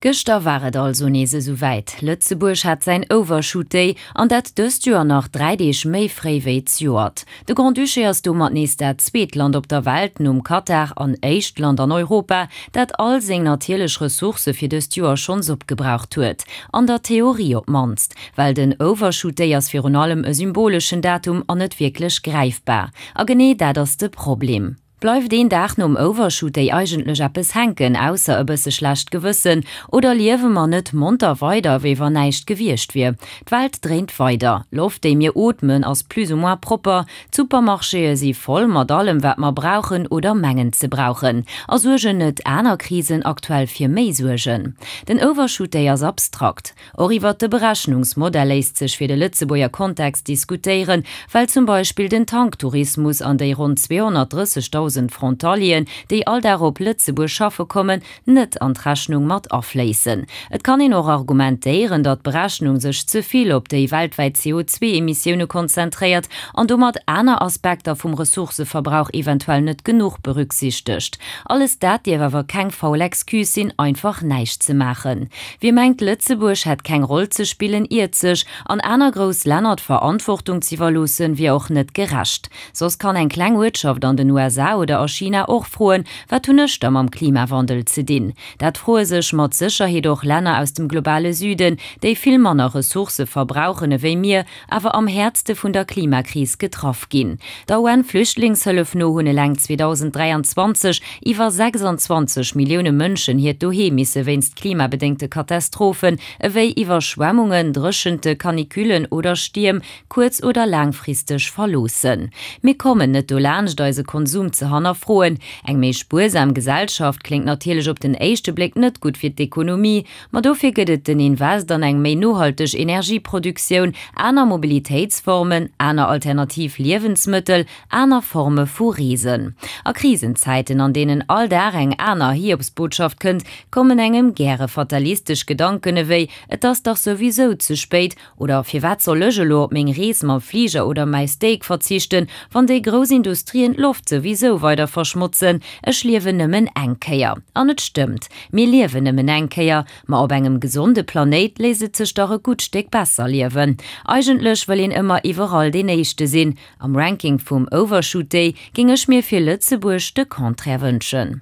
Gëschter war et also nees esou wäit, Lëtzebuerg hat säin Overshoot Day, an dat dëst Joer nach 3 Deeg méi fréi wéi zejoert. De Grand-Duché ass domat nees dat zweet Land op der Welt, nom Katar, an éischt Land an Europa, dat all seng natierlech Ressourcë fir dëst Joer schonns opgebraucht huet. An der Theorie op d'mannst, well den Overshoot Day ass virun allem e symboleschen Datum an net wierklech gräifbar. A genee dat ass de Problem. Bleift een Dag nom Overshoot Day eigentlech eppes hänken, ausser e bësse schlecht Gewëssen? Oder liewe mer net monter weider, wéi wann näischt gewiescht wier? D'Welt dréint weider. Loft, déi mir ootmen, ass plus ou moins propper. D'Supermarchéë si voll mat allem, wat mer brauchen oder mengen ze brauchen. A suergen net aner Krisen aktuell fir méi Suergen? Den Overshoot Day ass abstrakt. Och iwwert de Berechnungsmodell léisst sech fir de Lëtzebuerger Kontext diskutéieren, well zum Beispill den Tanktourismus an déi ronn 230.000 Frontalieren, déi all Dag op Lëtzebuerg schaffe kommen, net an d'Rechnung mat afléissen. Et kann een och argumentéieren, datt d'Berechnung sech ze vill op déi weltwäit CO2-Emissioune konzentréiert an domat aner Aspekter vum Ressourcëverbrauch eventuell net genuch berücksichtegt. Alles dat dierf awer keng faul Excuse sinn, einfach näischt ze maachen. Wie mengt Lëtzebuerg hätt keng Roll ze spillen, iert sech. An aner grouss Länner d'Verantwortung z'iwwerloossen, wier och net gerecht. Soss kann eng kleng Uertschaft an den USA oder a China och froen, Wat hunn ech da mam Klimawandel ze dinn? Dat froe sech mat Sécherheet och Länner aus dem globale Süden, déi vill manner Ressourcë verbrauchen ewéi mir, awer am häertste vun der Klimakris getraff ginn. Der UN-Flüchtlingshëllef no hunn eleng 2023 iwwer 26 Millioune Mënschen hiert Doheem misse wéinst klimabedéngte Katastrophen ewéi Iwwerschwemmungen, Dréchente, Canicullen oder Stierm kuerz oder laangfristeg verloossen. Mir kommen net dolaanscht eise Konsum ze hannerfroen. Eng méi spuersam Gesellschaft kléngt natierlech op den éischte Bléck net gutt fir d'Ekonomie, Ma dofir gëtt et den Invest an eng méi nohalteg Energieproduktioun, aner Mobilitéitsformen, aner alternativ Liewensmëttel, aner Forme vu Reesen. A Krisenzäiten, an deenen all Dag eng aner Hiobsbotschaft kënnt, kommen engem gäre fatalistesch Gedanken ewéi, Et ass dach souwisou ze spéit, Oder firwat soll ech elo op meng Rees mam Fliger oder mäi Steak verzichten, wann déi grouss Industrien d'Loft souwisou weider verschmotzen? Ech liewen nëmmen eng Kéier. An et stëmmt, mir liewen nëmmen eng Kéier, ma op engem gesonde Planéit léisst et sech dach e gutt Stéck besser liewen. Eigentlech wëll een ëmmer iwwerall deen Éischte sinn. Am Ranking vum Overshoot Day géing ech mir fir Lëtzebuerg de Contraire wënschen.